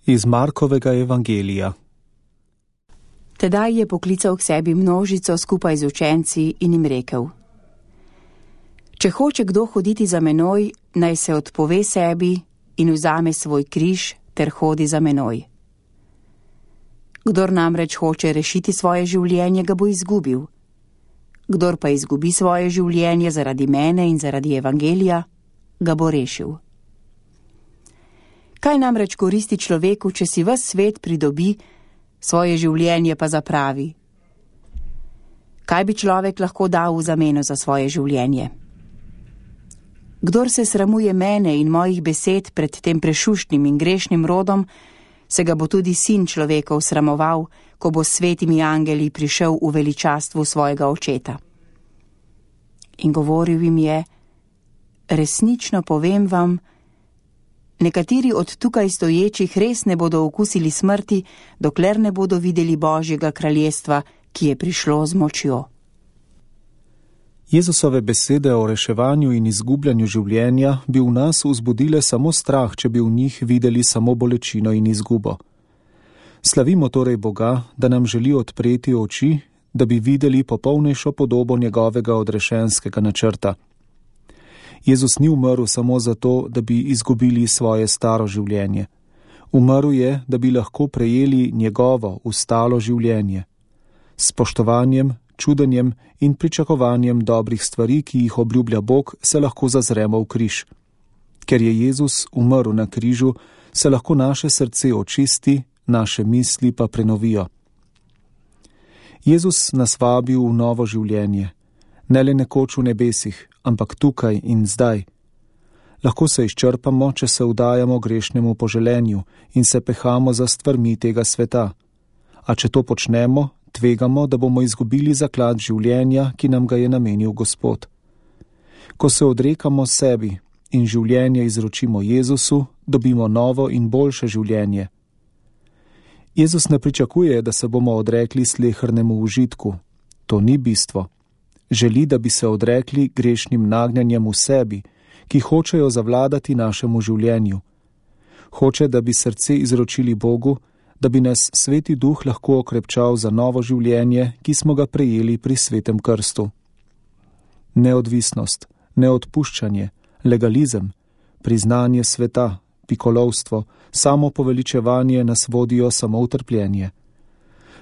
Iz Markovega evangelija. Tedaj je poklical k sebi množico skupaj z učenci in jim rekel: Če hoče kdo hoditi za menoj, naj se odpove sebi in vzame svoj križ ter hodi za menoj. Kdor namreč hoče rešiti svoje življenje, ga bo izgubil. Kdor pa izgubi svoje življenje zaradi mene in zaradi evangelija, ga bo rešil. Kaj namreč koristi človeku, če si ves svet pridobi, svoje življenje pa zapravi? Kaj bi človek lahko dal v zameno za svoje življenje? Kdor se sramuje mene in mojih besed pred tem prešuštnim in grešnim rodom, se ga bo tudi sin človekov sramoval, ko bo s svetimi angeli prišel v veličastvu svojega očeta. In govoril jim je: Resnično povem vam, nekateri od tukaj stoječih res ne bodo okusili smrti, dokler ne bodo videli Božjega kraljestva, ki je prišlo z močjo. Jezusove besede o reševanju in izgubljanju življenja bi v nas vzbudile samo strah, če bi v njih videli samo bolečino in izgubo. Slavimo torej Boga, da nam želi odpreti oči, da bi videli popolnejšo podobo njegovega odrešenskega načrta. Jezus ni umrl samo zato, da bi izgubili svoje staro življenje. Umrl je, da bi lahko prejeli njegovo ustalo življenje. S spoštovanjem, čudenjem in pričakovanjem dobrih stvari, ki jih obljublja Bog, se lahko zazremo v križ. Ker je Jezus umrl na križu, se lahko naše srce očisti, naše misli pa prenovijo. Jezus nas vabi v novo življenje, ne le nekoč v nebesih, ampak tukaj in zdaj. Lahko se izčrpamo, če se vdajamo grešnemu poželenju in se pehamo za stvarmi tega sveta. A če to počnemo, tvegamo, da bomo izgubili zaklad življenja, ki nam ga je namenil Gospod. Ko se odrekamo sebi in življenje izročimo Jezusu, dobimo novo in boljše življenje. Jezus ne pričakuje, da se bomo odrekli slehernemu užitku. To ni bistvo. Želi, da bi se odrekli grešnim nagnjanjem v sebi, ki hočejo zavladati našemu življenju. Hoče, da bi srce izročili Bogu, da bi nas Sveti Duh lahko okrepčal za novo življenje, ki smo ga prejeli pri Svetem krstu. Neodvisnost, neodpuščanje, legalizem, priznanje sveta, pikolovstvo, samo poveličevanje nas vodijo samo v trpljenje.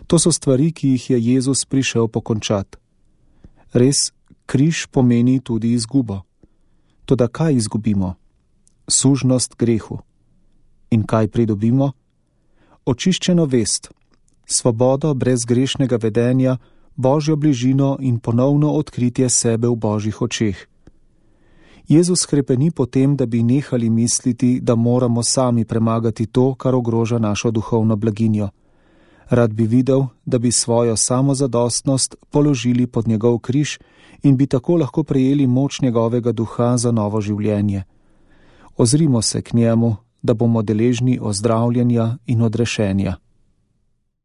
To so stvari, ki jih je Jezus prišel pokončati. Res, križ pomeni tudi izgubo. Toda kaj izgubimo? Sužnost grehu. In kaj pridobimo? Očiščeno vest, svobodo brez grešnega vedenja, Božjo bližino in ponovno odkritje sebe v Božjih očeh. Jezus hrepeni po tem, da bi nehali misliti, da moramo sami premagati to, kar ogroža našo duhovno blaginjo. Rad bi videl, da bi svojo samozadostnost položili pod njegov križ in bi tako lahko prejeli moč njegovega duha za novo življenje. Ozrimo se k njemu, da bomo deležni ozdravljenja in odrešenja.